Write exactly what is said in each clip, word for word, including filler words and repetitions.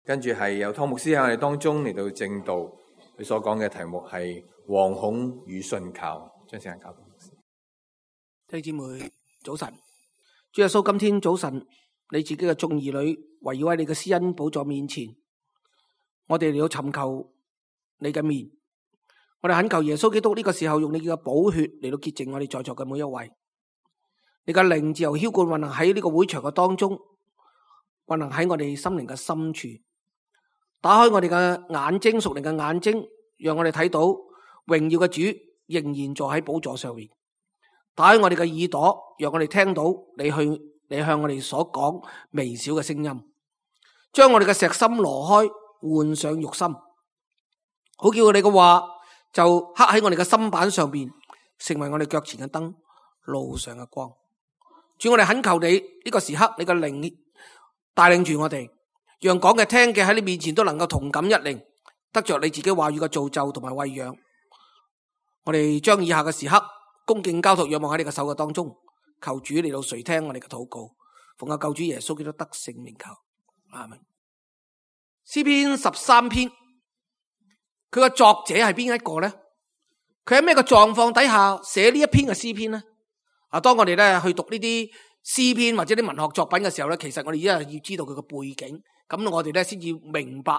跟住係有湯牧師喺我哋當中嚟到正道，佢所講嘅題目係惶恐與信靠。將時間交俾牧師。弟兄姊妹早晨，主耶穌，今天早晨你自己嘅眾兒女圍繞喺你嘅施恩寶座面前，我哋嚟到尋求你嘅面，我哋懇求耶穌基督呢個時候用你嘅寶血嚟到潔淨我哋在座嘅每一位，你嘅靈自由澆灌運行喺呢個會場嘅當中，運行喺我哋心靈嘅深處，打開我哋嘅眼睛，屬靈嘅眼睛，讓我哋睇到榮耀嘅主仍然坐喺寶座上面。打開我哋嘅耳朵，讓我哋聽到你去你向我哋所講微小嘅聲音，將我哋嘅石心挪開，換上肉心，好叫我哋嘅話就刻喺我哋嘅心板上邊，成為我哋腳前嘅燈，路上嘅光。主，我哋懇求你呢個時刻，你嘅靈帶領住我哋，讓講嘅聽嘅喺你面前都能夠同感一靈，得着你自己話語嘅造就同埋餵養。我哋將以下嘅時刻恭敬交託仰望喺你嘅手嘅當中，求主嚟到垂聽我哋嘅禱告，奉我救主耶穌基督得勝名求，阿門。詩篇十三篇，佢個作者係邊一個呢？佢喺咩個狀況底下寫呢一篇嘅詩篇呢？啊，當我哋咧去讀呢啲詩篇或者啲文學作品嘅時候咧，其實我哋一係要知道佢個背景，咁我哋咧先至明白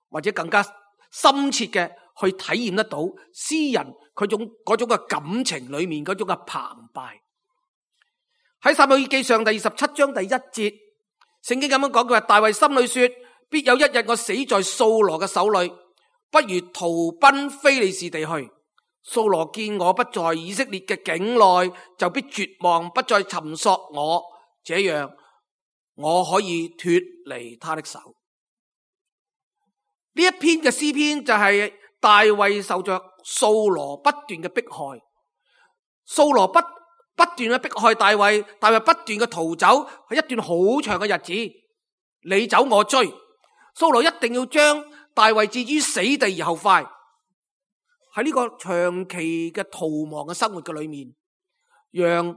或者更加深切嘅去體驗得到詩人佢種嗰種嘅感情裏面嗰種嘅澎湃。喺撒母耳記上第二十七章第一節，聖經咁樣講，佢話大衛心裏說，必有一日我死在掃羅嘅手裏，不如逃奔非利士地去。掃羅見我不在以色列嘅境內，就必絕望，不再尋索我，這樣我可以脫離他的手。呢一篇嘅詩篇就係大衛受着掃羅不斷嘅迫害，掃羅不不斷嘅迫害大衛，大衛不斷嘅逃走，係一段好長嘅日子，你走我追，掃羅一定要將大衛置於死地而後快。喺呢個長期嘅逃亡嘅生活嘅裏面，讓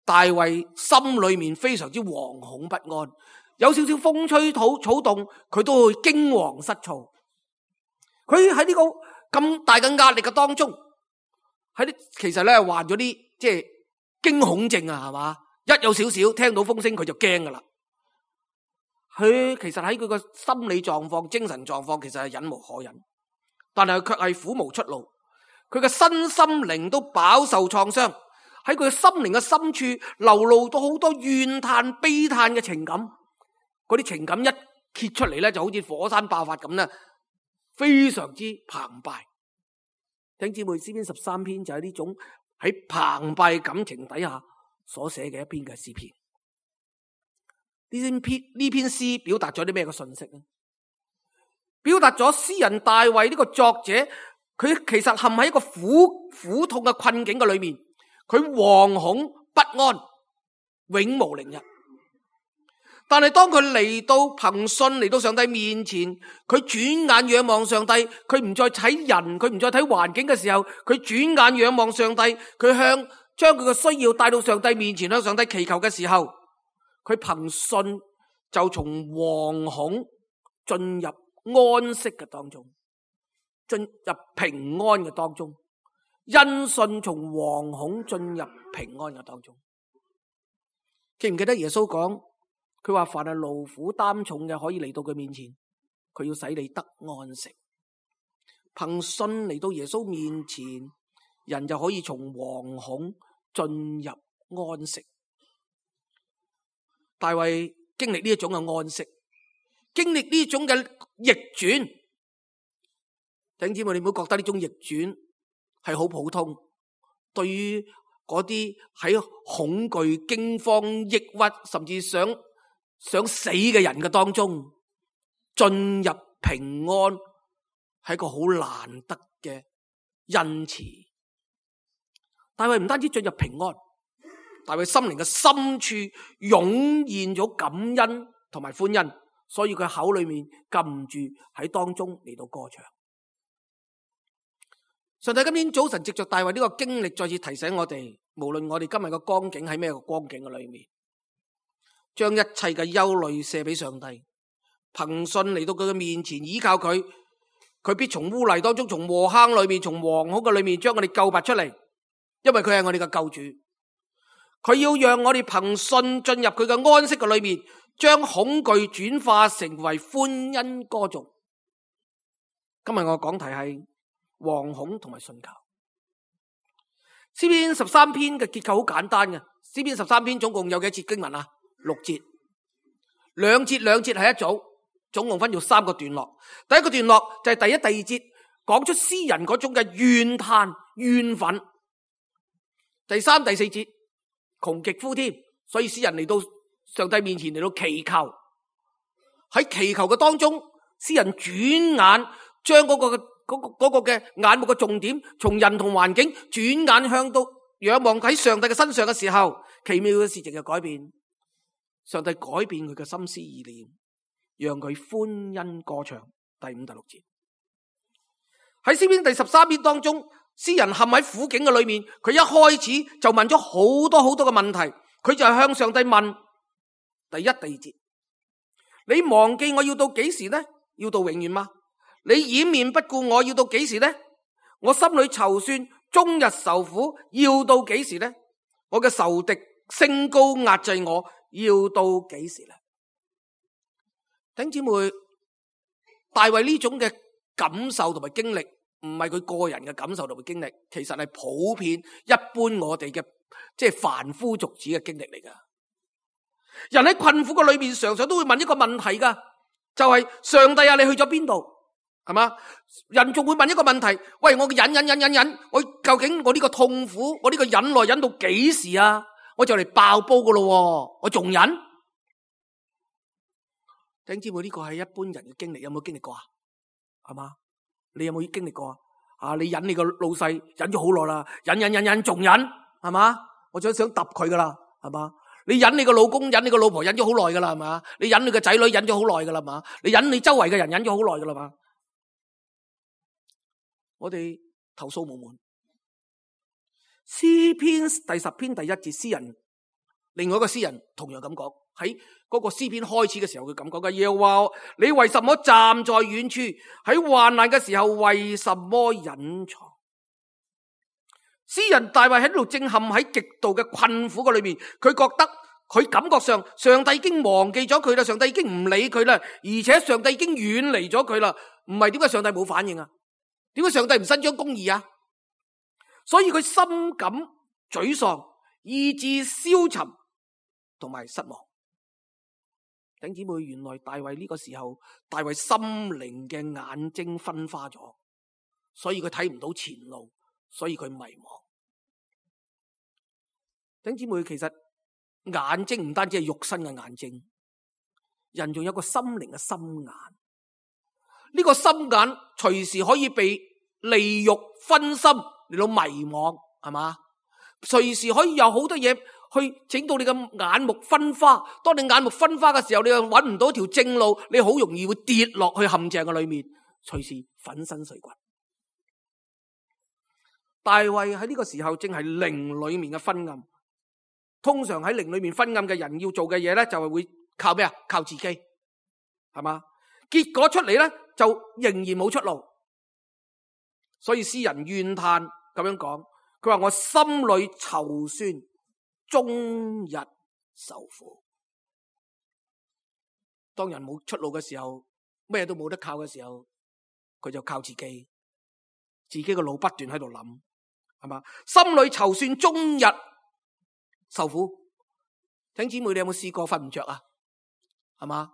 大衛心裏面非常之惶恐不安，有少少風吹草草動，佢都會驚惶失措。佢喺呢個咁大嘅壓力嘅當中，喺啲其實咧患咗啲即係驚恐症啊，係嘛？一有少少聽到風聲佢就驚噶啦。佢其實喺佢個心理狀況、精神狀況，其實係忍無可忍。但係佢卻係苦無出路，佢嘅身心靈都飽受創傷，喺佢嘅心靈嘅深處流露到好多怨嘆悲嘆嘅情感，嗰啲情感一揭出嚟咧，就好似火山爆發咁咧，非常之澎湃。弟兄姊妹，詩篇十三篇就係呢種喺澎湃感情底下所寫嘅一篇嘅詩篇。呢篇呢篇詩表達咗啲咩嘅信息呢？表達咗詩人大衛呢個作者，佢其實陷喺一個苦苦痛嘅困境嘅裏面，佢惶恐不安，永無寧日。但係當佢嚟到憑信嚟到上帝面前，佢轉眼仰望上帝，佢唔再睇人，佢唔再睇環境嘅時候，佢轉眼仰望上帝，佢向將佢嘅需要帶到上帝面前，向上帝祈求嘅時候，佢憑信就從惶恐進入安息嘅當中，進入平安嘅當中，因信從惶恐進入平安嘅當中。記唔記得耶穌講，佢話凡係勞苦擔重嘅可以嚟到佢面前，佢要使你得安息。憑信嚟到耶穌面前，人就可以從惶恐進入安息。大衛經歷呢一種嘅安息，經歷呢種嘅逆轉，弟兄姊妹，你唔好覺得呢種逆轉係好普通。對於嗰啲喺恐懼、驚慌、抑鬱，甚至想想死嘅人嘅當中，進入平安係一個好難得嘅恩賜。大衛唔單止進入平安，大衛心靈嘅深處湧現咗感恩同埋歡欣。所以佢口裏面禁唔住喺當中嚟到歌唱。上帝今天早晨藉着大衛呢個經歷，再次提醒我哋，無論我哋今日嘅光景喺咩個光景嘅裏面，將一切嘅憂慮卸俾上帝，憑信嚟到佢嘅面前，依靠佢，佢必從污泥當中，從禍坑裏面，從惶恐嘅裏面，將我哋救拔出嚟。因為佢係我哋嘅救主，佢要讓我哋憑信進入佢嘅安息嘅裏面，將恐懼轉化成為歡欣歌頌。今日我講題係惶恐同埋信靠。詩篇十三篇嘅結構好簡單嘅，詩篇十三篇總共有幾節經文啊？六節，兩節兩節係一組，總共分咗三個段落。第一個段落就係第一、第二節，講出詩人嗰種嘅怨嘆、怨憤。第三、第四節窮極呼添，所以詩人嚟到上帝面前嚟到祈求。喺祈求嘅當中，詩人轉眼將嗰、嗰個嗰個嗰個嘅眼目嘅重點，從人同環境轉眼向到仰望喺上帝嘅身上嘅時候，奇妙嘅事情就改變。上帝改變佢嘅心思意念，讓佢歡欣歌唱。第五、第六節喺詩篇第十三篇當中，詩人陷喺苦境嘅裏面，佢一開始就問咗好多好多嘅問題，佢就係向上帝問。第一、第二節，你忘記我要到幾時呢？要到永遠嗎？你掩面不顧我要到幾時呢？我心裏籌算，終日受苦，要到幾時呢？我嘅仇敵升高壓制我，要到幾時呢？弟兄姊妹，大衛呢種嘅感受同埋經歷，唔係佢個人嘅感受同埋經歷，其實係普遍一般我哋嘅即係凡夫俗子嘅經歷嚟噶。人喺困苦嘅裏面，常常都會問一個問題噶，就係、是、上帝啊，你去咗邊度？係嘛？人仲會問一個問題，喂，我嘅忍忍忍忍忍，我究竟我呢個痛苦，我呢個忍耐忍到幾時啊？我就嚟爆煲噶咯，我仲忍？弟兄姊妹，呢個係一般人嘅經歷，有冇經歷過啊？係嘛？你有冇經歷過啊？啊，你忍你個老細忍咗好耐啦，忍忍忍忍仲忍，係嘛？我就想揼佢噶啦，係嘛？你忍你個老公，忍你個老婆忍咗好耐噶啦，係嘛？你忍你個仔女忍咗好耐噶啦嘛？你忍你周圍嘅人忍咗好耐噶啦嘛？我哋投訴無門。詩篇第十篇第一節，詩人另外一個詩人同樣咁講，喺嗰個詩篇開始嘅時候，佢咁講嘅，耶和華，你為什麼站在遠處？喺患難嘅時候，為什麼隱藏？詩人大衛喺度正陷喺極度嘅困苦嘅裏面，佢覺得佢感覺上上帝已經忘記咗佢啦，上帝已經唔理佢啦，而且上帝已經遠離咗佢啦。唔係，點解上帝冇反應啊？點解上帝唔伸張公義啊？所以佢深感沮喪，意志消沉同埋失望。弟兄姊妹，原來大衛呢個時候，大衛心靈嘅眼睛昏花咗，所以佢睇唔到前路，所以佢迷茫。弟兄姊妹，其實眼睛唔單止係肉身嘅眼睛，人仲有個心靈嘅心眼。呢個心眼隨時可以被利欲分心嚟到迷惘，係嘛？隨時可以有好多嘢去整到你嘅眼目昏花。當你眼目昏花嘅時候，你又揾唔到條正路，你好容易會跌落去陷阱嘅裏面，隨時粉身碎骨。大衛喺呢個時候正係靈裏面嘅昏暗。通常喺靈裏面昏暗嘅人要做嘅嘢咧，就係會靠咩啊？靠自己，係嘛？結果出嚟咧，就仍然冇出路。所以詩人怨嘆咁樣講，佢話我心裏籌算，終日受苦。當人冇出路嘅時候，咩都冇得靠嘅時候，佢就靠自己，自己個腦不斷喺度諗，係嘛？心裏籌算，終日受苦。弟兄姊妹，你有冇試過瞓唔着啊？係嘛？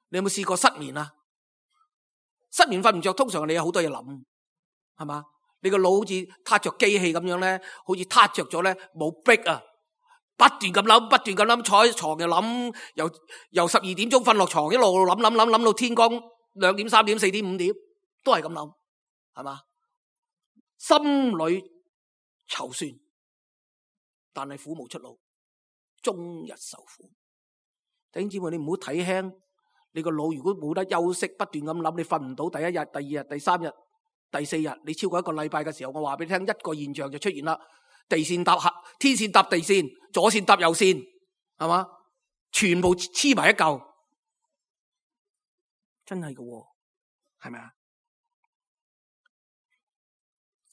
你有冇試過失眠啊？失眠瞓唔着，通常你有好多嘢諗，係嘛？你個腦好似撻着機器咁樣咧，好似撻着咗咧，冇逼啊，不斷咁諗，不斷咁諗，坐喺床又諗，由由十二點鐘瞓落床，一路諗諗諗諗到天光兩點、三點、四點、五點，都係咁諗，係嘛？心裏籌算，但係苦無出路，終日受苦。弟兄姊妹，你唔好睇輕你個腦，如果冇得休息，不斷咁諗，你瞓唔到。第一日、第二日、第三日、第四日，你超過一個禮拜嘅時候，我話俾你聽，一個現象就出現啦：地線搭合，天線搭地線，左線搭右線，係嘛？全部黐埋一嚿。真係嘅，係咪啊？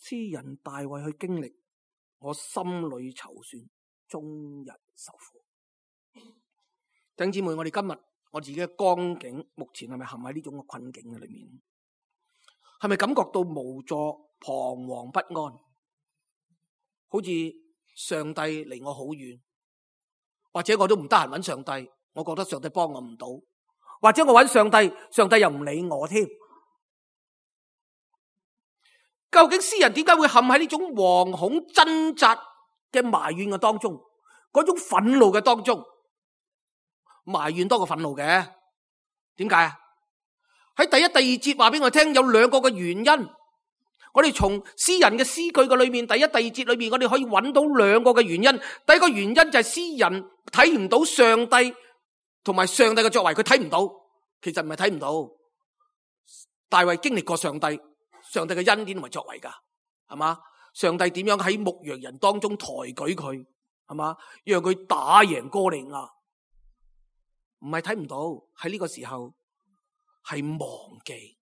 詩人大衛去經歷，我心裏籌算，終日受苦。弟兄姊妹，我哋今日我自己嘅光景，目前係咪陷喺呢種嘅困境嘅裏面？係咪感覺到無助、彷徨不安？好似上帝離我好遠，或者我都唔得閒揾上帝，我覺得上帝幫我唔到，或者我揾上帝，上帝又唔理我添。究竟詩人點解會陷喺呢種惶恐掙扎嘅埋怨嘅當中，嗰種憤怒嘅當中？埋怨多過憤怒嘅，點解啊？喺第一、第二節話俾我聽，有兩個嘅原因。我哋從詩人嘅詩句嘅裏面，第一、第二節裏面，我哋可以揾到兩個嘅原因。第一個原因就係詩人睇唔到上帝同埋上帝嘅作為，佢睇唔到。其實唔係睇唔到，大衛經歷過上帝，上帝嘅恩典同埋作為噶，係嘛？上帝點樣喺牧羊人當中抬舉佢，係嘛？讓佢打贏哥利亞。唔係睇唔到，喺呢個時候係忘記。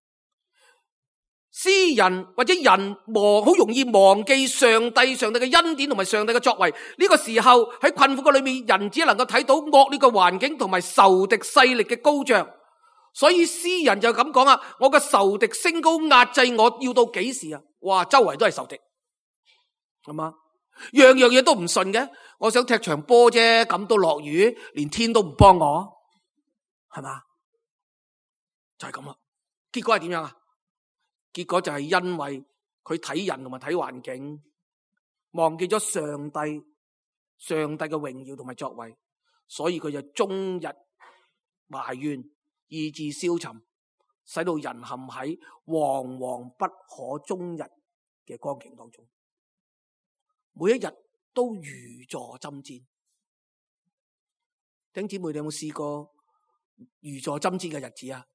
詩人或者人忘，好容易忘記上帝、上帝嘅恩典同埋上帝嘅作為。呢個時候喺困苦嘅裏面，人只能夠睇到惡劣嘅環境同埋仇敵勢力嘅高漲。所以詩人就咁講啊：我嘅仇敵升高壓制我，要到幾時啊？哇，周圍都係仇敵，係嘛？樣樣嘢都唔順嘅。我想踢場波啫，咁都落雨，連天都唔幫我。係嘛？就係咁啦。結果係點樣啊？結果就係因為佢睇人同埋睇環境，忘記咗上帝、上帝嘅榮耀同埋作為，所以佢就終日埋怨，意志消沉，使到人陷喺惶惶不可終日嘅光景當中，每一日都如坐針氈。弟兄姊妹，你有冇試過如坐針氈嘅日子啊？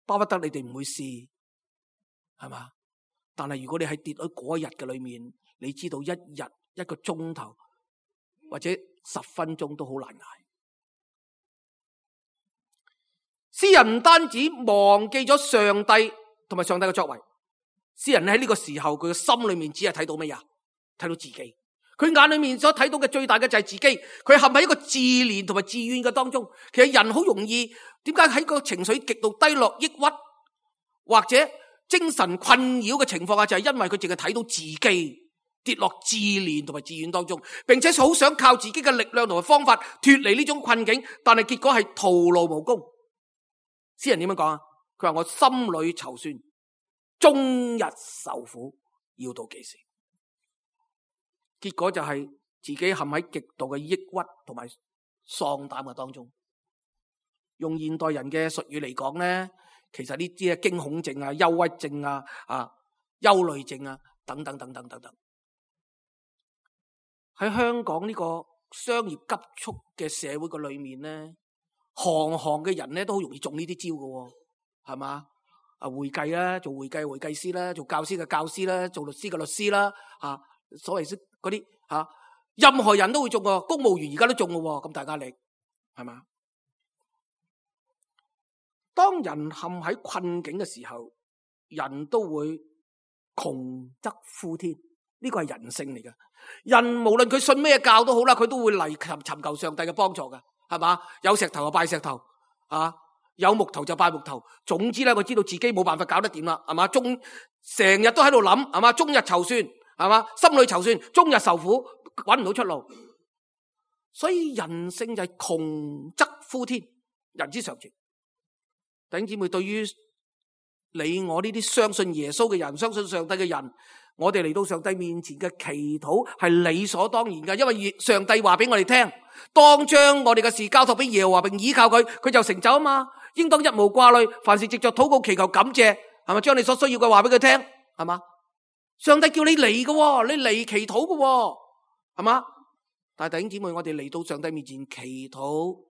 巴不得你哋唔會試，係嘛？但係如果你喺跌喺嗰一日嘅裏面，你知道一日一個鐘頭或者十分鐘都好難捱。詩人唔單止忘記咗上帝同埋上帝嘅作為，詩人喺呢個時候佢嘅心裏面只係睇到乜嘢？睇到自己。佢眼裏面所睇到嘅最大嘅就係自己，佢陷喺一個自憐同埋自怨嘅當中。其實人好容易，點解喺個情緒極度低落、抑鬱或者精神困擾嘅情況下，就係因為佢淨係睇到自己跌落自憐同埋自怨當中，並且好想靠自己嘅力量同埋方法脫離呢種困境，但係結果係徒勞無功。詩人點樣講啊？佢話我心裏籌算，終日受苦，要到幾時？結果就係自己陷喺極度嘅抑鬱同埋喪膽嘅當中。用現代人嘅術語嚟講咧，其實呢啲係驚恐症啊、憂鬱症啊、啊憂慮症啊等等等等等等。喺香港呢個商業急速嘅社會嘅裏面咧，行行嘅人咧都好容易中呢啲招嘅，係嘛？啊，會計啦，做會計會計師啦，做教師嘅教師啦，做律師嘅律師啦，啊，所謂嗰啲吓，任何人都會中嘅，公務員而家都中嘅，咁大壓力，係嘛？當人陷喺困境嘅時候，人都會窮則呼天，呢個係人性嚟嘅。人無論佢信咩教都好啦，佢都會嚟尋尋求上帝嘅幫助嘅，係嘛？有石頭就拜石頭，啊，有木頭就拜木頭。總之咧，佢知道自己冇辦法搞得掂啦，係嘛？終成日都喺度諗，係嘛？終日籌算，係嘛？心裏籌算，終日受苦，搵唔到出路。所以人性就係窮則呼天，人之常情。弟兄姊妹，對於你我呢啲相信耶穌嘅人，相信上帝嘅人，我哋嚟到上帝面前嘅祈禱係理所當然嘅，因為上帝話俾我哋聽，當將我哋嘅事交託俾耶和華並倚靠佢，佢就成就啊嘛。應當一無掛慮，凡事藉着禱告祈求感謝，係咪？將你所需要嘅話俾佢聽，係嘛？上帝叫你嚟嘅，你嚟祈禱嘅，係嘛？但係弟兄姊妹，我哋嚟到上帝面前祈禱，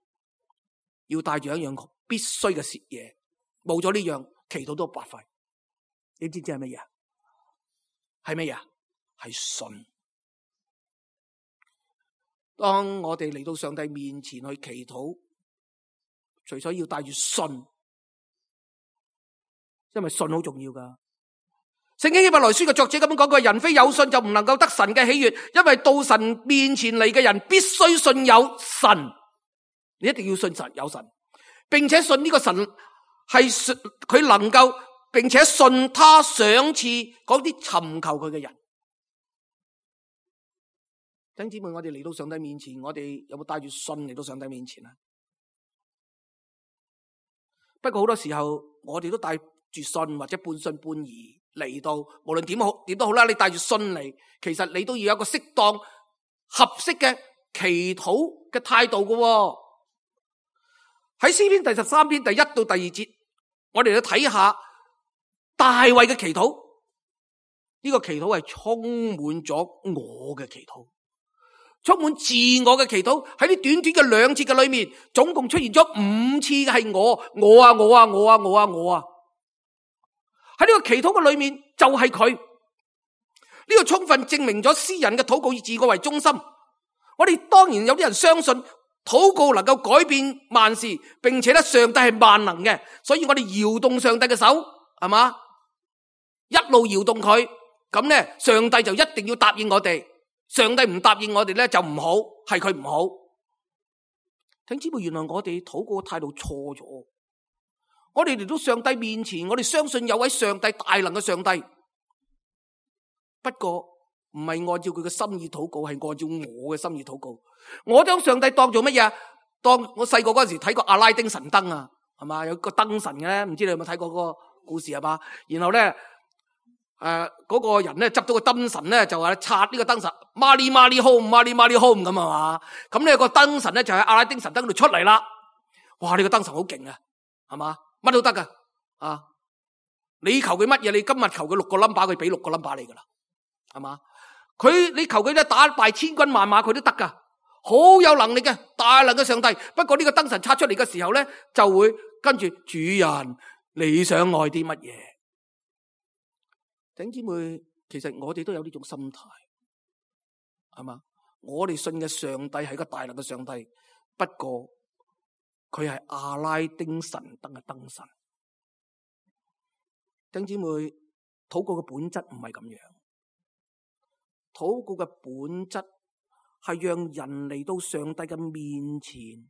要帶住一樣必須嘅嘢，冇咗呢樣，祈禱都白費。你知唔知係乜嘢？係乜嘢？係信。當我哋嚟到上帝面前去祈禱，除咗要帶住信，因為信好重要噶。聖經希伯來書嘅作者咁樣講過，人非有信就唔能夠得神嘅喜悅，因為到神面前嚟嘅人必須信有神，你一定要信神有神，並且信呢個神係佢能夠，並且信他賞賜嗰啲尋求佢嘅人。弟兄姊妹，我哋嚟到上帝面前，我哋有冇帶住信嚟到上帝面前啊？不過好多時候我哋都帶住信或者半信半疑嚟到，無論點好點都好啦，你帶住信嚟，其實你都要有一個適當合適嘅祈禱嘅態度嘅。喺詩篇第十三篇第一到第二節，我哋去睇下大衛嘅祈禱。呢個祈禱係充滿咗我嘅祈禱，充滿自我嘅祈禱。喺呢短短嘅兩節嘅裏面，總共出現咗五次嘅係我，我啊我啊我啊我啊我啊。喺呢個祈禱嘅裏面就係佢。呢個充分證明咗詩人嘅禱告以自我為中心。我哋當然有啲人相信禱告能夠改變萬事，並且咧上帝係萬能嘅，所以我哋搖動上帝嘅手，係嘛？一路搖動佢，咁咧上帝就一定要答應我哋。上帝唔答應我哋咧就唔好，係佢唔好。聽姊妹，原來我哋禱告嘅態度錯咗。我哋嚟到上帝面前，我哋相信有位上帝，大能嘅上帝，不過唔係按照佢嘅心意禱告，係按照我嘅心意禱告。我將上帝當做乜嘢？當我細個嗰陣時睇過阿拉丁神燈啊，係嘛？有個燈神嘅，唔知你有冇睇過嗰個故事係嘛？然後咧，誒、呃、嗰、那個人咧執到個燈神咧，就話拆呢個燈神，Mali Mali Home，Mali Mali Home 咁啊嘛。咁呢個燈神咧就喺阿拉丁神燈度出嚟啦。哇！呢、這個燈神好勁啊，係嘛？乜都得噶啊！你求佢乜嘢？你今日求佢六個 number， 佢俾六個 number 你噶啦，係嘛？佢你求佢咧打敗千軍萬馬，佢都得噶，好有能力嘅大能嘅上帝。不過呢個燈神拆出嚟嘅時候咧，就會跟住主人，你想愛啲乜嘢？弟兄姊妹，其實我哋都有呢種心態，係嘛？我哋信嘅上帝係個大能嘅上帝，不過佢係阿拉丁神燈嘅燈神。弟兄姊妹，禱告嘅本質唔係咁樣。禱告嘅本質係讓人嚟到上帝嘅面前，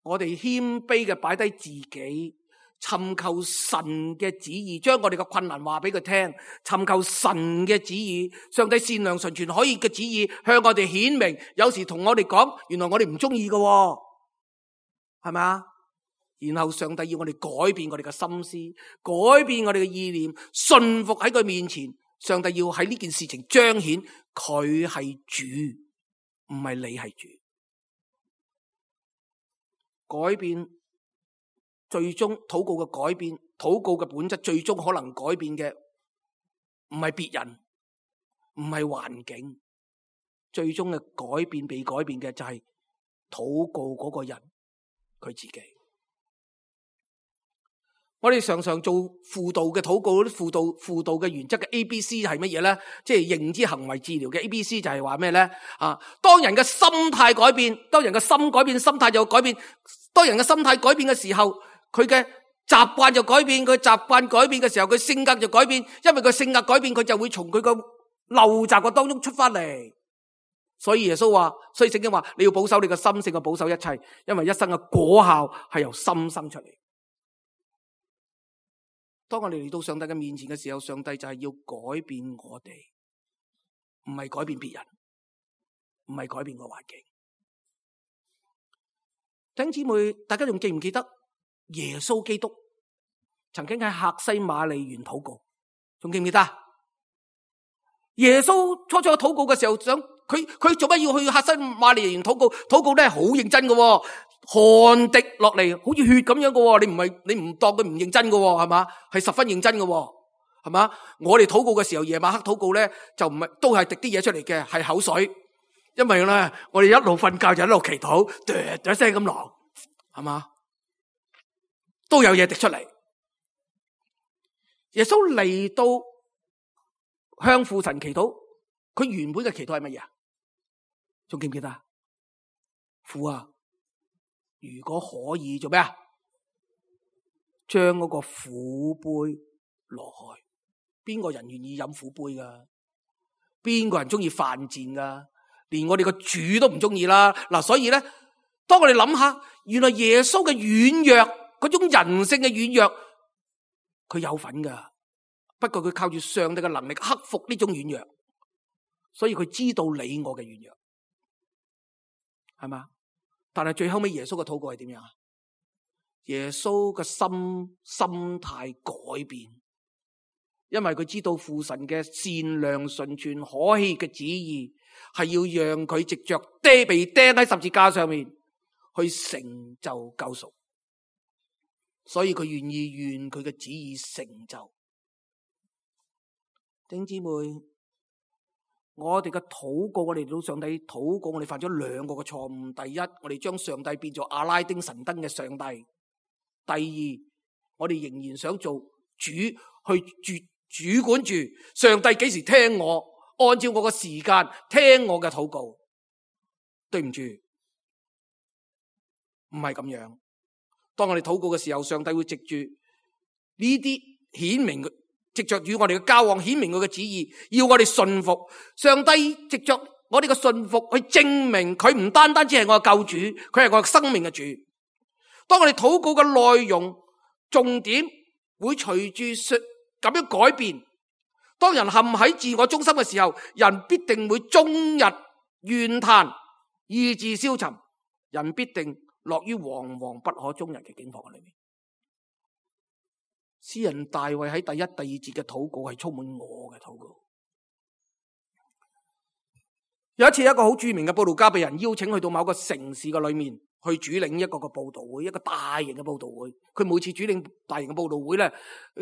我哋謙卑嘅擺低自己，尋求神嘅旨意，將我哋嘅困難話俾佢聽，尋求神嘅旨意，上帝善良純全可以嘅旨意向我哋顯明。有時同我哋講，原來我哋唔中意嘅，係咪啊？然後上帝要我哋改變我哋嘅心思，改變我哋嘅意念，順服喺佢面前。上帝要喺呢件事情彰顯佢係主，唔係你係主。改變最終禱告嘅改變，禱告嘅本質最終可能改變嘅唔係別人，唔係環境，最終嘅改變被改變嘅就係禱告嗰個人佢自己。我哋常常做輔導嘅禱告，啲輔導輔導嘅原則嘅 A B C 係乜嘢咧？即係認知行為治療嘅 A B C 就係話咩咧？啊，當人嘅心態改變，當人嘅心改變，心態就改變。當人嘅心態改變嘅時候，佢嘅習慣就改變。佢習慣改變嘅時候，佢性格就改變。因為佢性格改變，佢就會從佢個陋習嘅當中出翻嚟。所以耶穌話，所以聖經話，你要保守你嘅心，勝過保守一切，因為一生嘅果效係由心生出嚟。當我哋嚟到上帝嘅面前嘅時候，上帝就係要改變我哋，唔係改變別人，唔係改變個環境。弟兄姊妹，大家仲記唔記得耶穌基督曾經喺客西馬尼園禱告？仲記唔記得？耶穌初初禱告嘅時候，想佢佢做乜要去客西馬尼園禱告？禱告咧好認真嘅。汗滴落嚟，好似血咁樣嘅，你唔係你唔當佢唔認真嘅，係嘛？係十分認真嘅，係嘛？我哋禱告嘅時候，夜晚黑禱告咧，就唔係都係滴啲嘢出嚟嘅，係口水，因為咧我哋一路瞓覺就一路祈禱，噠噠聲咁落，係嘛？都有嘢滴出嚟。耶穌嚟到向父神祈禱，佢原本嘅祈禱係乜嘢啊？仲記唔記得啊？父啊！如果可以做咩啊？將嗰個苦杯挪開。邊個人願意飲苦杯噶？邊個人中意犯賤噶？連我哋個主都唔中意啦。嗱，所以咧，當我哋諗下，原來耶穌嘅軟弱，嗰種人性嘅軟弱，佢有份噶。不過佢靠住上帝嘅能力克服呢種軟弱，所以佢知道你我嘅軟弱，係嘛？但係最後尾耶穌嘅禱告係點樣啊？耶穌嘅心心態改變。因為佢知道父神嘅善良、純全、可喜嘅旨意，係要讓佢藉着釘被釘喺十字架上面去成就救贖，所以佢願意願佢嘅旨意成就。弟兄姊妹，我哋嘅禱告，我哋到上帝禱告，我哋犯咗兩個嘅錯誤。第一，我哋將上帝變做阿拉丁神燈嘅上帝；第二，我哋仍然想做主去絕。主管住上帝幾時聽我，按照我嘅時間聽我嘅禱告。對唔住，唔係咁樣。當我哋禱告嘅時候，上帝會藉住呢啲顯明，藉着與我哋嘅交往顯明佢嘅旨意，要我哋信服。上帝藉着我哋嘅信服去證明佢唔單單只係我嘅救主，佢係我嘅生命嘅主。當我哋禱告嘅內容重點會隨住咁樣改變，當人陷喺自我中心嘅時候，人必定會終日怨嘆，意志消沉，人必定落於惶惶不可終日嘅境況裏面。詩人大衛喺第一、第二節嘅禱告係充滿我嘅禱告。有一次，一個好著名嘅佈道家被人邀請去到某個城市嘅裏面，去主領一個個佈道會，一個大型嘅佈道會。佢每次主領大型嘅佈道會咧，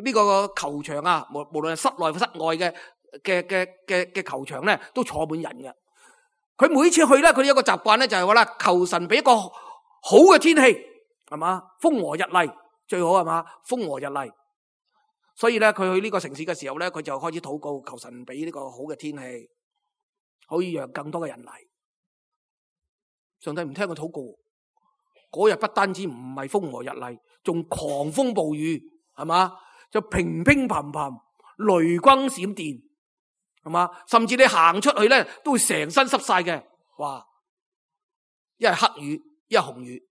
呢個球場啊，無無論係室內室外嘅嘅嘅嘅嘅球場咧，都坐滿人嘅。佢每次去咧，佢有一個習慣咧，就係話啦，求神俾一個好嘅天氣，係嘛，風和日麗最好，係嘛，風和日麗。所以咧，佢去呢個城市嘅時候咧，佢就開始禱告，求神俾呢個好嘅天氣，可以讓更多嘅人嚟。上帝唔聽佢禱告。嗰日不單止唔係風和日麗，仲狂風暴雨，係嘛？就乒乒乓乓，雷轟閃電，係嘛？甚至你行出去咧，都會成身濕晒嘅。哇！一係黑雨，一係紅雨。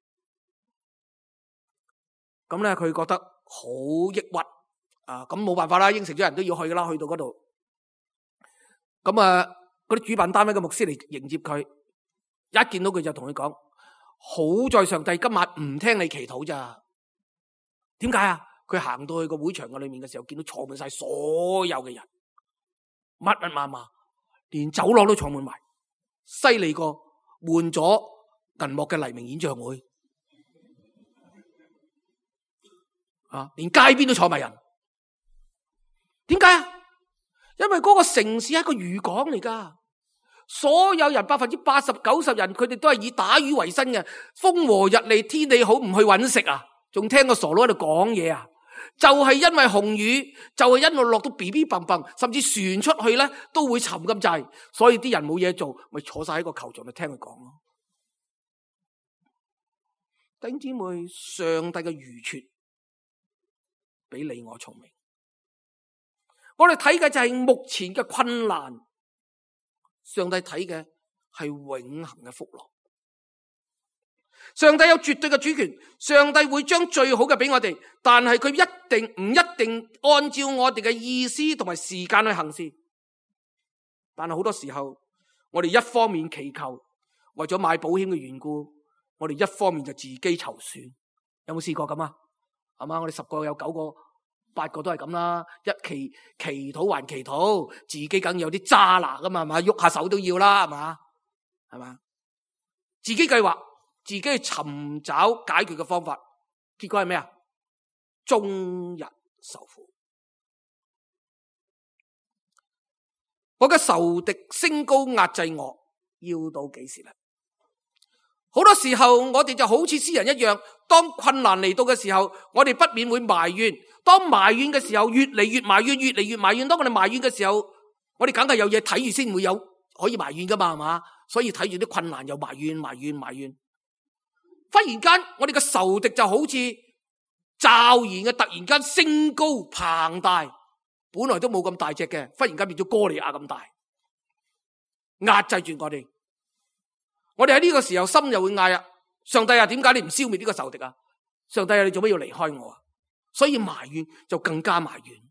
咁咧，佢覺得好抑鬱啊！咁冇辦法啦，應承咗人都要去噶啦，去到嗰度。咁啊，嗰啲主辦單位嘅牧師嚟迎接佢，一見到佢就同佢講。好在上帝今晚唔聽你祈禱咋？點解啊？佢行到去個會場嘅裏面嘅時候，見到坐滿晒所有嘅人，密密麻麻，連走廊都坐滿埋，犀利過換咗銀幕嘅黎明演唱會啊！連街邊都坐埋人，點解啊？因為嗰個城市係一個漁港嚟噶。所有人百分之八十九十人，佢哋都係以打魚為生嘅。風和日麗，天氣好，唔去搵食啊？仲聽個傻佬喺度講嘢啊？就係因為紅雨，就係因為落到 B B 蹦蹦，甚至船出去咧都會沉咁滯，所以啲人冇嘢做，咪坐晒喺個球場度聽佢講咯。弟兄姊妹，上帝嘅愚拙比你我聰明。我哋睇嘅就係目前嘅困難。上帝睇嘅係永恆嘅福樂，上帝有絕對嘅主權，上帝會將最好嘅俾我哋，但係佢一定唔一定按照我哋嘅意思同埋時間去行事。但係好多時候，我哋一方面祈求，為咗買保險嘅緣故，我哋一方面就自己籌算。有冇試過咁啊？係嘛，我哋十個有九個。八個都係咁啦，一祈祈禱還祈禱，自己梗有啲渣拿噶嘛，係嘛，喐下手都要啦，係嘛，係嘛，自己計劃，自己去尋找解決嘅方法，結果係咩啊？終日受苦。我嘅仇敵升高壓制我，要到幾時咧？好多時候我哋就好似詩人一樣，當困難嚟到嘅時候，我哋不免會埋怨。當埋怨嘅時候，越嚟越埋怨，越嚟越埋怨。當我哋埋怨嘅時候，我哋梗係有嘢睇住先會有可以埋怨噶嘛，係嘛？所以睇住啲困難又埋怨、埋怨、埋怨。忽然間我哋嘅仇敵就好似驟然嘅突然間升高龐大，本來都冇咁大隻嘅，忽然間變咗哥利亞咁大，壓制住我哋。我哋喺呢個時候心又會嗌啊，上帝啊，點解你唔消滅呢個仇敵啊？上帝啊，你做乜要離開我啊？所以埋怨就更加埋怨，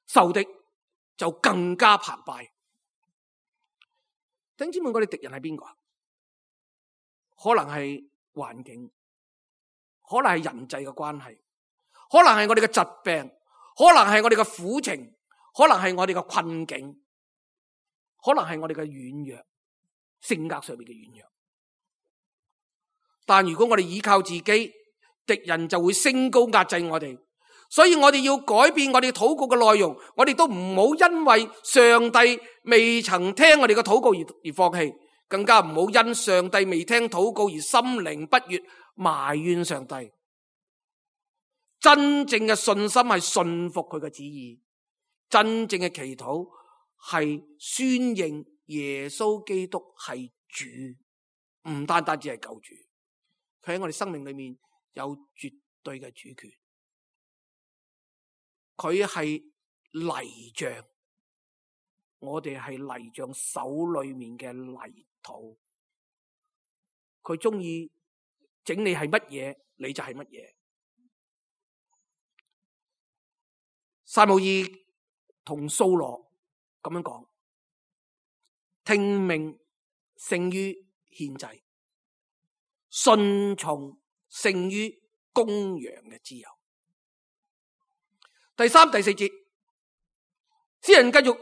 仇敵就更加澎湃。弟兄姊妹，我哋敵人係邊個？可能係環境，可能係人際嘅關係，可能係我哋嘅疾病，可能係我哋嘅苦情，可能係我哋嘅困境，可能係我哋嘅軟弱，性格上面嘅軟弱。但如果我哋依靠自己，敵人就會升高壓制我哋。所以我哋要改變我哋禱告嘅內容，我哋都唔好因為上帝未曾聽我哋嘅禱告而而放棄，更加唔好因上帝未聽禱告而心靈不悅，埋怨上帝。真正嘅信心係信服佢嘅旨意，真正嘅祈禱係宣認耶穌基督係主，唔單單只係救主，佢喺我哋生命裏面有絕對嘅主權。佢係泥匠，我哋係泥匠手裏面嘅泥土。佢中意整你係乜嘢，你就係乜嘢。撒母耳同掃羅咁樣講：聽命勝於獻祭，順從勝於公羊嘅脂油。第三、第四節，詩人繼續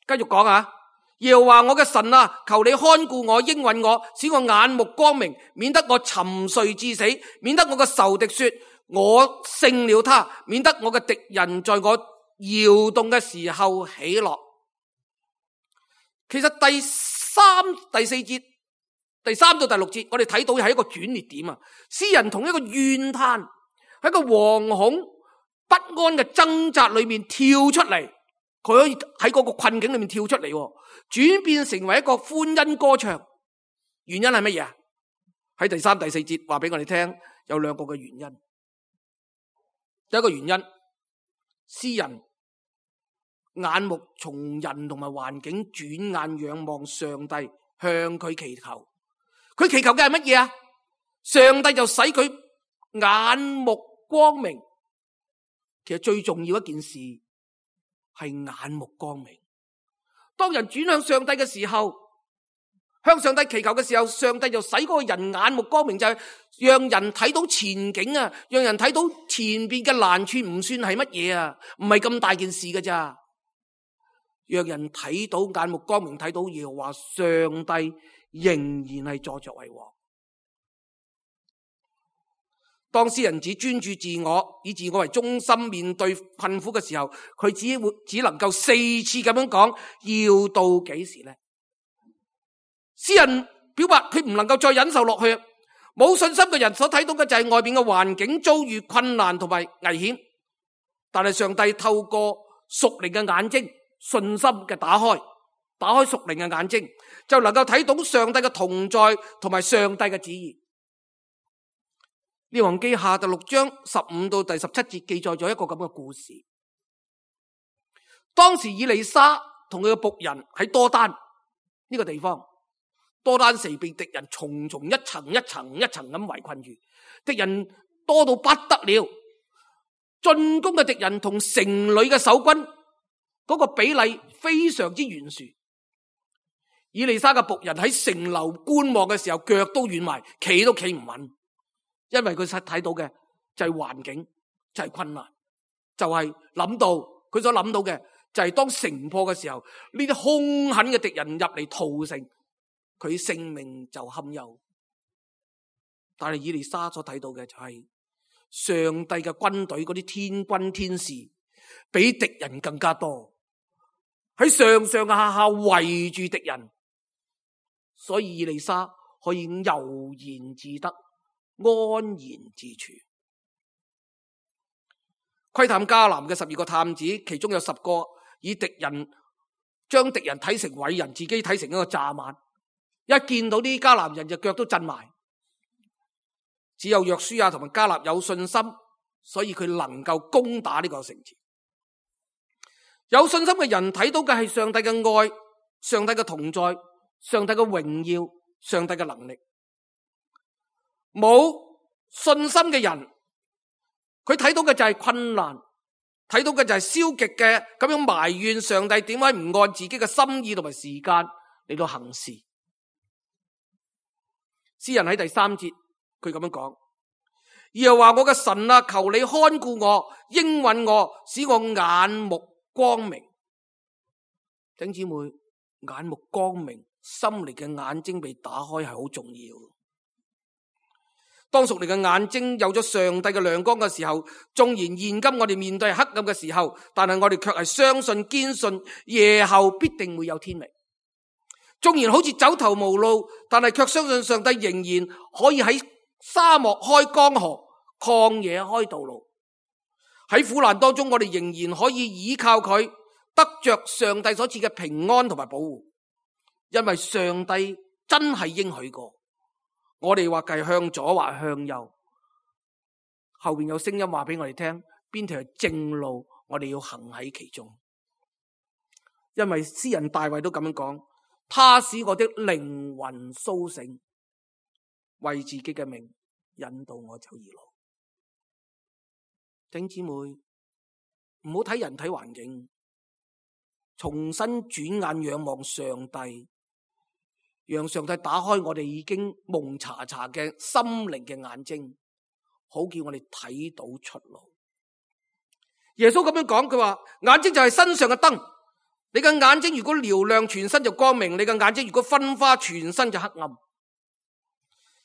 繼續講啊，耶和華我嘅神啊，求你看顧我，應允我，使我眼目光明，免得我沉睡至死，免得我嘅仇敵說我勝了他，免得我嘅敵人在我搖動嘅時候喜樂。其實第三、第四節，第三到第六節，我哋睇到係一個轉捩點啊。詩人同一個怨嘆，喺一個惶恐不安嘅掙扎裏面跳出嚟，佢可以喺嗰個困境裏面跳出嚟，轉變成為一個歡欣歌唱。原因係乜嘢啊？喺第三、第四節話俾我哋聽，有兩個嘅原因。第一個原因，詩人眼目從人同埋環境轉眼仰望上帝，向佢祈求。佢祈求嘅係乜嘢啊？上帝就使佢眼目光明。其實最重要一件事係眼目光明。當人轉向上帝嘅時候，向上帝祈求嘅時候，上帝就使嗰個人眼目光明，就係讓人睇到前景啊，讓人睇到前邊嘅難處唔算係乜嘢啊，唔係咁大件事㗎咋。讓人睇到眼目光明，睇到耶和華上帝仍然係坐著為王。當詩人只專注自我，以自我為中心面對困苦嘅時候，佢只會只能夠四次咁樣講，要到幾時呢？詩人表白佢唔能夠再忍受落去，冇信心嘅人所睇到嘅就係外邊嘅環境遭遇困難同埋危險，但係上帝透過屬靈嘅眼睛，信心嘅打開，打開屬靈嘅眼睛，就能夠睇到上帝嘅同在同埋上帝嘅旨意。列王記下第六章十五到第十七節記載咗一個咁嘅故事。當時以利沙同佢嘅僕人喺多丹呢個地方，多丹城被敵人重重一層一層一層咁圍困住，敵人多到不得了，進攻嘅敵人同城裏嘅守軍嗰個比例非常之懸殊。以利沙嘅僕人喺城樓觀望嘅時候，腳都軟埋，企都企唔穩。因為佢實睇到嘅就係環境，就係困難，就係諗到佢所諗到嘅就係當城破嘅時候，呢啲兇狠嘅敵人入嚟屠城，佢性命就堪憂。但係以利沙所睇到嘅就係上帝嘅軍隊，嗰啲天軍天使比敵人更加多，喺上上下下圍住敵人，所以以利沙可以悠然自得，安然自處。窺探迦南嘅十二個探子，其中有十個以敵人將敵人睇成偉人，自己睇成一個蚱蜢。一見到啲迦南人就腳都震埋，只有約書亞同埋迦勒有信心，所以佢能夠攻打呢個城池。有信心嘅人睇到嘅係上帝嘅愛、上帝嘅同在、上帝嘅榮耀、上帝嘅能力。冇信心嘅人，佢睇到嘅就係困難，睇到嘅就係消極嘅咁樣埋怨上帝點解唔按自己嘅心意同埋時間嚟到行事。詩人喺第三節佢咁樣講：耶和華我嘅神啊，求你看顧我，應允我，使我眼目光明。弟兄姊妹，眼目光明，心靈嘅眼睛被打開係好重要。當屬靈嘅眼睛有咗上帝嘅亮光嘅時候，縱然現今我哋面對黑暗嘅時候，但係我哋卻係相信堅信夜後必定會有天明。縱然好似走投無路，但係卻相信上帝仍然可以喺沙漠開江河，曠野開道路。喺苦難當中，我哋仍然可以依靠佢，得着上帝所賜嘅平安同埋保護。因為上帝真係應許過，我哋或係向左或向右，後邊有聲音話俾我哋聽，邊條係正路，我哋要行喺其中。因為詩人大衛都咁樣講，他使我的靈魂蘇醒，為自己嘅名引導我走義路。弟兄姊妹，唔好睇人體環境，重新轉眼仰望上帝，讓上帝打開我哋已經蒙查查嘅心靈嘅眼睛，好叫我哋睇到出路。耶穌咁樣講，佢話眼睛就係身上嘅燈，你嘅眼睛如果嘹亮，全身就光明；你嘅眼睛如果昏花，全身就黑暗。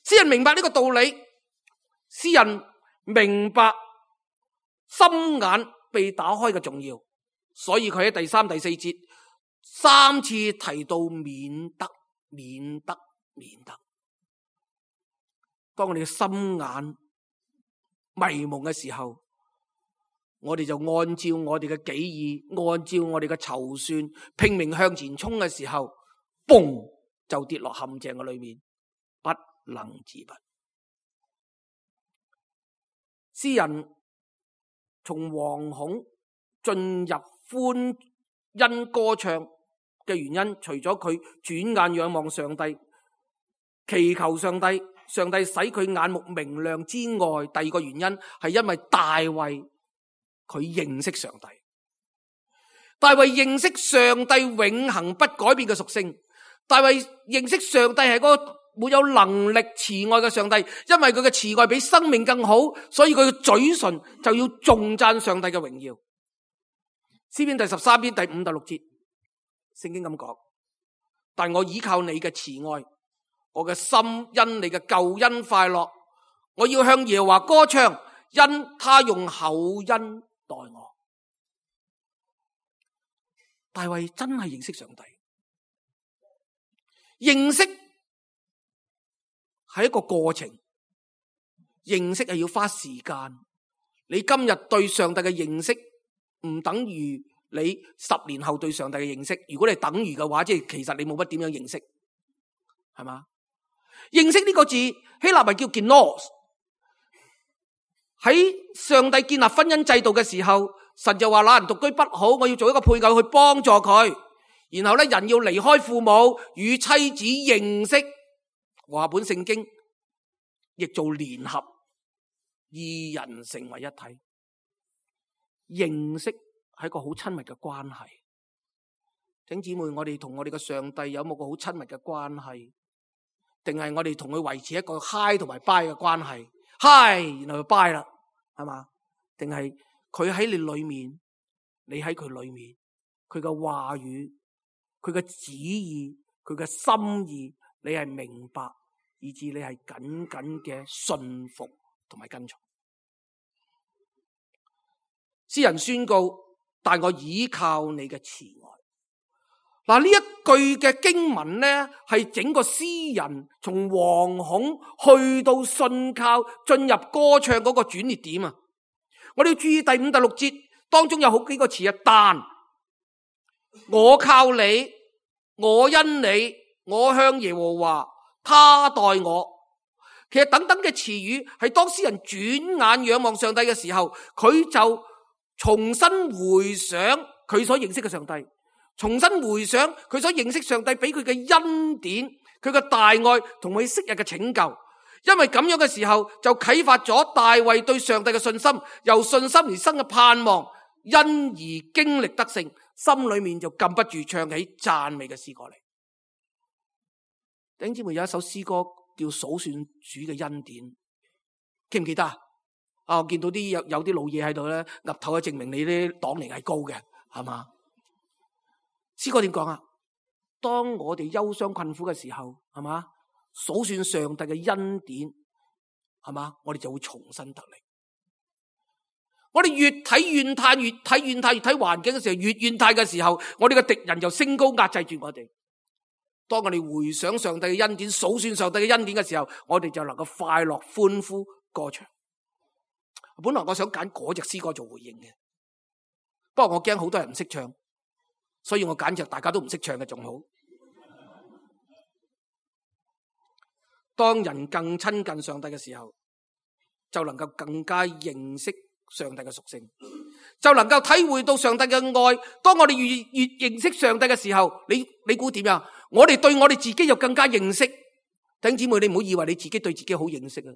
詩人明白呢個道理，詩人明白心眼被打開嘅重要，所以佢喺第三、第四節三次提到免得、免得、免得。當我哋嘅心眼迷蒙嘅時候，我哋就按照我哋嘅己意，按照我哋嘅籌算，拼命向前衝嘅時候，嘣就跌落陷阱嘅裏面，不能自拔。詩人從惶恐進入歡欣歌唱嘅原因，除咗佢轉眼仰望上帝，祈求上帝，上帝使佢眼目明亮之外，第二個原因係因為大衛佢認識上帝。大衛認識上帝永恆不改變嘅屬性，大衛認識上帝係嗰個沒有能力慈愛嘅上帝，因為佢嘅慈愛比生命更好，所以佢嘅嘴唇就要頌讚上帝嘅榮耀。詩篇第十三篇第五、第六節，聖經咁講：但我倚靠你嘅慈愛，我嘅心因你嘅救恩快樂，我要向耶和華歌唱，因他用厚恩待我。大衛真係認識上帝，認識係一個過程，認識係要花時間。你今日對上帝嘅認識唔等於你十年後對上帝嘅認識。如果你等於嘅話，即係其實你冇乜點樣認識，係嘛？認識呢個字希臘係叫 gnos。喺上帝建立婚姻制度嘅時候，神就話那人獨居不好，我要做一個配偶去幫助佢。然後咧，人要離開父母，與妻子認識。和合本聖經亦做聯合，二人成為一體。認識係一個好親密嘅關係。請姊妹，我哋同我哋嘅上帝有冇個好親密嘅關係？定係我哋同佢維持一個 high 同埋 bye 嘅關係 ？high 然後就 bye 啦，係嘛？定係佢喺你裏面，你喺佢裏面，佢嘅話語、佢嘅旨意、佢嘅心意，你係明白，以致你係緊緊嘅信服同埋跟從。詩人宣告：但我倚靠你嘅慈愛。嗱，呢一句嘅經文呢，係整個詩人從惶恐去到信靠，進入歌唱嗰個轉捩點啊！我哋要注意第五、第六節當中有好幾個詞啊，但我靠你，我因你，我向耶和華，他待我。其實等等嘅詞語係當詩人轉眼仰望上帝嘅時候，佢就重新回想佢所認識嘅上帝，重新回想佢所認識上帝俾佢嘅恩典，佢嘅大愛同佢昔日嘅拯救。因為咁樣嘅時候，就啟發咗大衛對上帝嘅信心，由信心而生嘅盼望，因而經歷得勝，心裏面就禁不住唱起讚美嘅詩歌嚟。弟兄姊妹，有一首詩歌叫數算主嘅恩典，記唔記得啊？啊，我見到啲有有啲老嘢喺度咧，岌頭去證明你啲黨齡係高嘅，係嘛？詩歌點講啊？當我哋憂傷困苦嘅時候，係嘛？數算上帝嘅恩典，係嘛？我哋就會重新得力。我哋越睇怨嘆，越睇怨嘆，越睇環境嘅時候，越怨嘆嘅時候，我哋嘅敵人就升高壓制住我哋。當我哋回想上帝嘅恩典，數算上帝嘅恩典嘅時候，我哋就能夠快樂歡呼歌唱。本來我想揀嗰隻詩歌做回應嘅，不過我驚好多人唔識唱，所以我揀隻大家都唔識唱嘅仲好。當人更親近上帝嘅時候，就能夠更加認識上帝嘅屬性，就能夠體會到上帝嘅愛。當我哋越越認識上帝嘅時候，你你估點樣？我哋對我哋自己又更加認識。弟兄姊妹，你唔好以為你自己對自己好認識啊！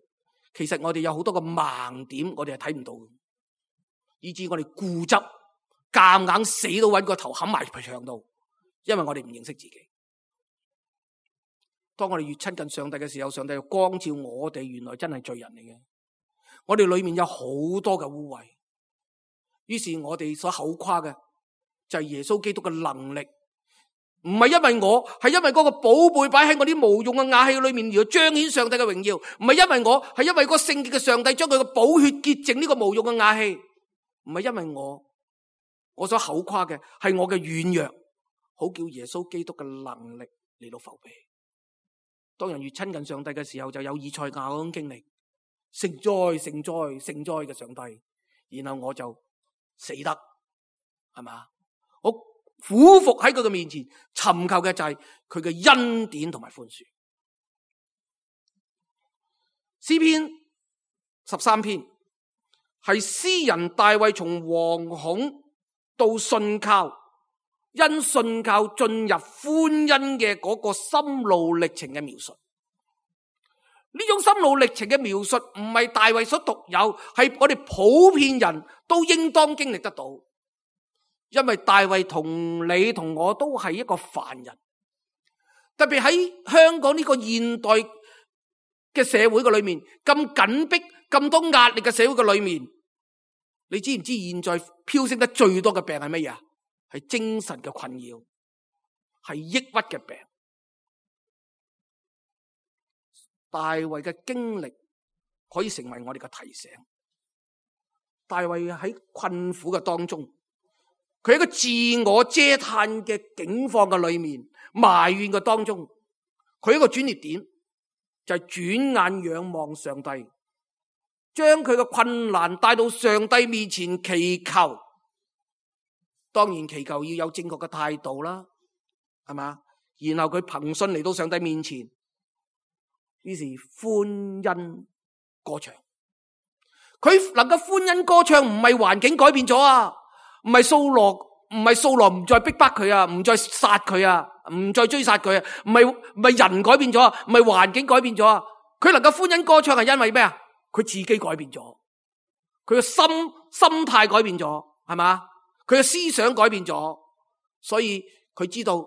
其實我哋有好多個盲點，我哋係睇唔到嘅，以致我哋固執，夾硬死都揾個頭冚埋牆度，因為我哋唔認識自己。當我哋越親近上帝嘅時候，上帝就光照我哋，原來真係罪人嚟嘅。我哋裏面有好多嘅污穢，於是我哋所口誇嘅就係耶穌基督嘅能力，唔係因為我，係因為嗰個寶貝擺喺我啲無用嘅瓦器裏面，而彰顯上帝嘅榮耀。唔係因為我，係因為個聖潔嘅上帝將佢嘅寶血潔淨呢個無用嘅瓦器。唔係因為我，我所口誇嘅係我嘅軟弱，好叫耶穌基督嘅能力嚟到覆庇。當人越親近上帝嘅時候，就有以賽亞嗰種經歷，聖哉聖哉聖哉嘅上帝，然後我就死得，係嘛？我俯伏喺佢嘅面前，尋求嘅就係佢嘅恩典同埋寬恕。詩篇十三篇係詩人大衛從惶恐到信靠，因信靠進入歡欣嘅嗰個心路歷程嘅描述。呢種心路歷程嘅描述唔係大衛所獨有，係我哋普遍人都應當經歷得到。因為大衛同你同我都係一個凡人，特別喺香港呢個現代嘅社會嘅裏面，咁緊迫、咁多壓力嘅社會嘅裏面，你知唔知現在飆升得最多嘅病係乜嘢啊？係精神嘅困擾，係抑鬱嘅病。大衛嘅經歷可以成為我哋嘅提醒。大衛喺困苦嘅當中，佢喺一個自我嗟嘆嘅境況嘅裏面，埋怨嘅當中，佢一個轉捩點就係轉眼仰望上帝，將佢嘅困難帶到上帝面前祈求。當然祈求要有正確嘅態度啦，係嘛？然後佢憑信嚟到上帝面前，於是歡欣歌唱。佢能夠歡欣歌唱，唔係環境改變咗啊，唔係掃羅，唔係掃羅唔再逼迫佢啊，唔再殺佢啊，唔再追殺佢啊，唔係唔係人改變咗啊，唔係環境改變咗啊。佢能夠歡欣歌唱係因為咩啊？佢自己改變咗，佢嘅心心態改變咗，係嘛？佢嘅思想改變咗，所以佢知道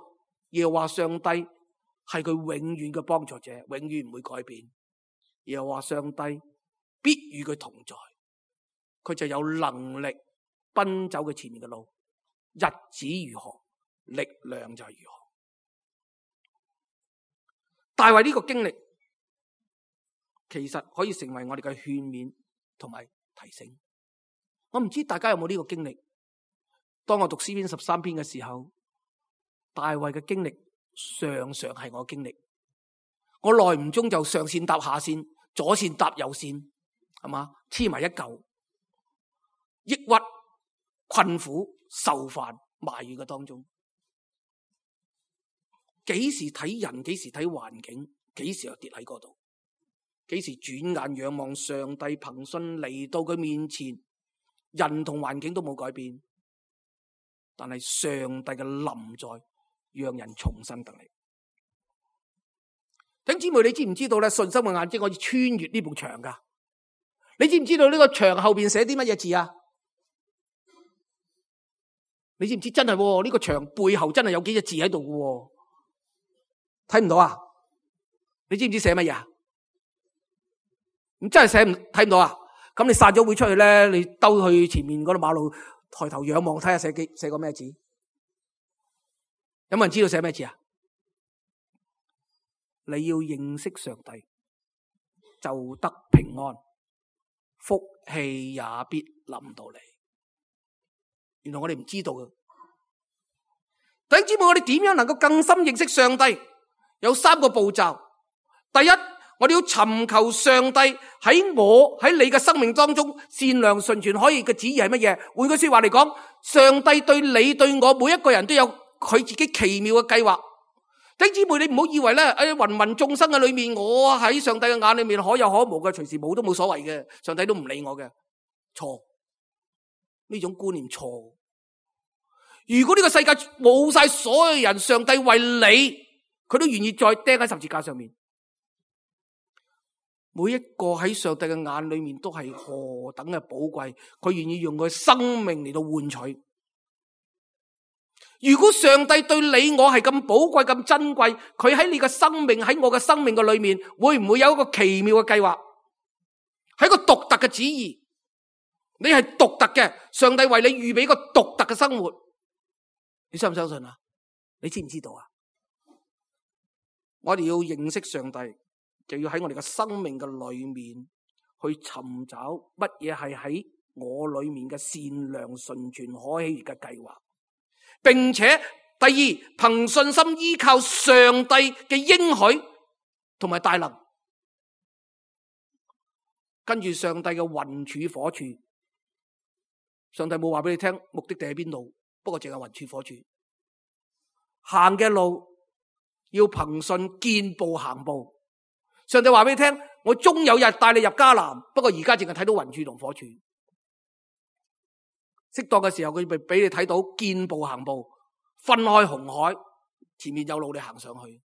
耶和華上帝係佢永遠嘅幫助者，永遠唔會改變。耶和華上帝必與佢同在，佢就有能力奔走佢前面嘅路。日子如何，力量就係如何。大衛呢個經歷其實可以成為我哋嘅勸勉同埋提醒。我唔知大家有冇呢個經歷？當我讀詩篇十三篇嘅時候，大衛嘅經歷常常係我經歷。我耐唔中就上線搭下線，左線搭右線，係嘛？黐埋一嚿，抑鬱、困苦、受煩、埋怨嘅當中，幾時睇人，幾時睇環境，幾時又跌喺嗰度。幾時轉眼仰望上帝憑信嚟到佢面前，人同環境都冇改變，但係上帝嘅臨在讓人重新得力。弟兄姊妹，你知唔知道咧？信心嘅眼睛可以穿越呢埲牆噶？你知唔知道呢個牆後邊寫啲乜嘢字啊？你知唔知真係呢個牆背後真係有幾隻字喺度嘅？睇唔到啊？你知唔知寫乜嘢啊？咁真係寫唔睇唔到啊？咁你散咗會出去咧，你兜去前面嗰度馬路，抬頭仰望睇下寫幾寫個咩字？有冇人知道寫咩字啊？你要認識上帝，就得平安，福氣也必臨到你。原來我哋唔知道嘅。弟兄姊妹，我哋點樣能夠更深認識上帝？有三個步驟。第一，我哋要尋求上帝喺我喺你嘅生命當中善良純全可以嘅旨意係乜嘢？換句說話嚟講，上帝對你對我每一個人都有佢自己奇妙嘅計劃。弟兄姊妹，你唔好以為咧喺芸芸眾生嘅裏面，我喺上帝嘅眼裏面可有可無嘅，隨時冇都冇所謂嘅，上帝都唔理我嘅。錯，呢種觀念錯。如果呢個世界冇晒所有人，上帝為你，佢都願意再釘喺十字架上面。每一個喺上帝嘅眼裏面都係何等嘅寶貴，佢願意用佢生命嚟到換取。如果上帝對你我係咁寶貴咁珍貴，佢喺你嘅生命喺我嘅生命嘅裏面，會唔會有一個奇妙嘅計劃？係一個獨特嘅旨意，你係獨特嘅，上帝為你預備一個獨特嘅生活，你相唔相信啊？你知唔知道啊？我哋要認識上帝，就要喺我哋嘅生命嘅裏面去尋找乜嘢係喺我裏面嘅善良純全可喜悅嘅計劃。並且第二，憑信心依靠上帝嘅應許同埋大能，跟住上帝嘅雲柱火柱。上帝冇話俾你聽目的地喺邊度，不過淨係雲柱火柱。行嘅路要憑信見步行步。上帝話俾你聽，我終有日帶你入迦南，不過而家淨係睇到雲柱同火柱。適當嘅時候，佢咪俾你睇到見步行步，分開紅海，前面有路你行上去。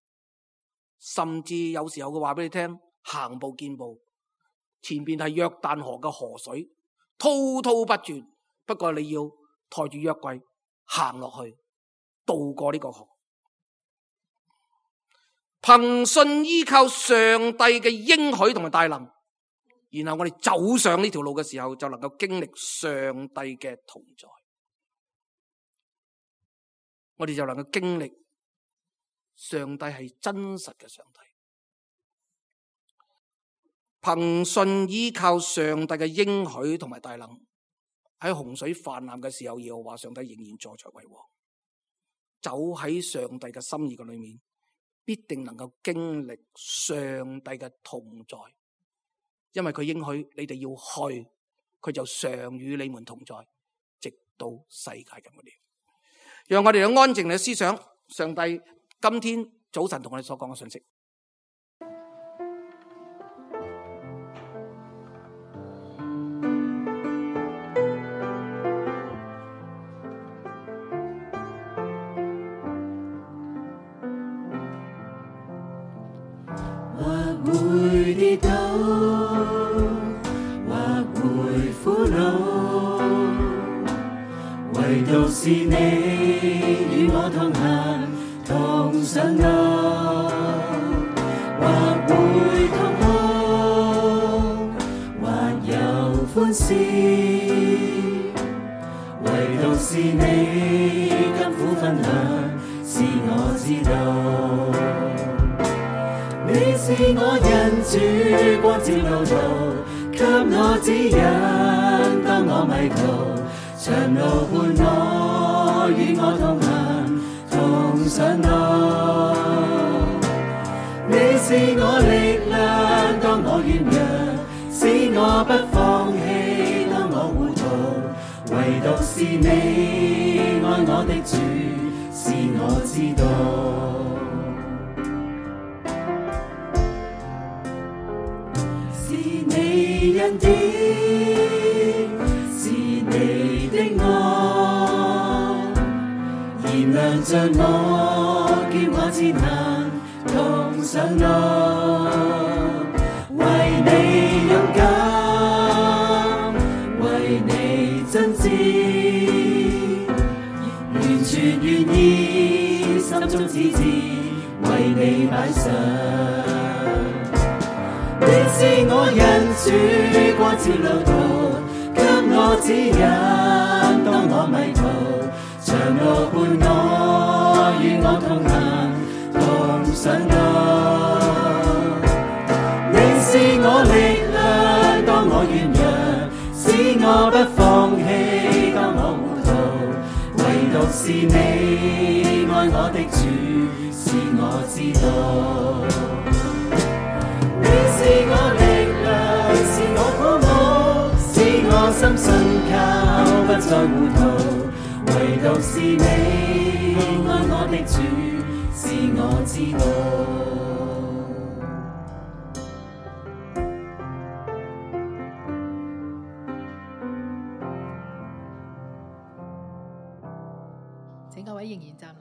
甚至有時候佢話俾你聽，行步見步，前邊係約旦河嘅河水，滔滔不絕。不過你要抬住約櫃行落去，渡過呢個河。憑信依靠上帝嘅應許同埋大能，然後我哋走上呢條路嘅時候，就能夠經歷上帝嘅同在。我哋就能夠經歷上帝係真實嘅上帝。憑信依靠上帝嘅應許同埋大能，喺洪水泛濫嘅時候，耶和華上帝仍然坐著為王。走喺上帝嘅心意嘅裏面，必定能夠經歷上帝嘅同在。因為佢應許你哋要去，佢就常與你們同在，直到世界嘅末了。讓我哋有安靜嘅思想上帝今天早晨同我哋所講嘅信息。或會跌倒，或會苦惱，唯獨是你與我同行，同上路。或會痛哭，或有歡笑，唯獨是你甘苦分享，是我知道。你是我人主，光照路途，給我指引，當我迷途，長路伴我，與我同行，同上路。你是我力量，當我軟弱，使我不放棄，當我糊塗，唯獨是你愛我的主，是我知道。恩典，是你的愛，燃亮着我，叫我前行同上路，為你勇敢，為你真摯，完全願意，心中只知為你擺上。你是我人主，光照路途，給我指引，當我迷途，長路伴我，與我同行，同上路。你是我力量，當我軟弱，使我不放棄，當我糊塗，唯獨是你愛我的主，是我知道。你是我力量，是我鼓舞，使我深信靠，不再糊塗，唯獨是你愛我的主，是我知道。請各位仍然站立。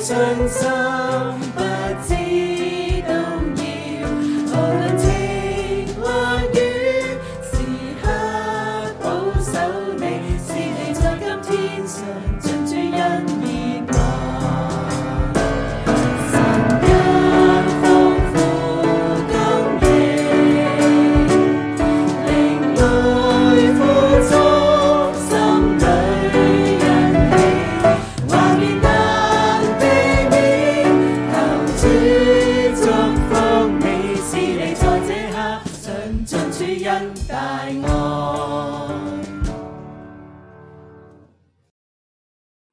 信心不知動搖，無論晴或雨，時刻保守你，是你在今天上盡主恩熱愛。神恩豐富供應，靈裡富足，心裡欣喜，畫面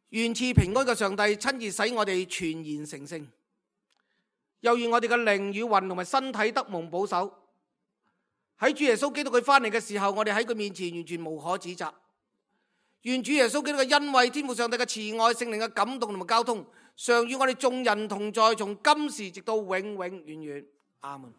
願賜平安嘅上帝親自使我哋全然成聖，又願我哋嘅靈與魂同埋身體得蒙保守。喺主耶穌基督佢翻嚟嘅時候，我哋喺佢面前完全無可指責。願主耶穌基督嘅恩惠、天父上帝嘅慈愛、聖靈嘅感動同埋交通，常與我哋眾人同在，從今時直到永永遠遠。阿門。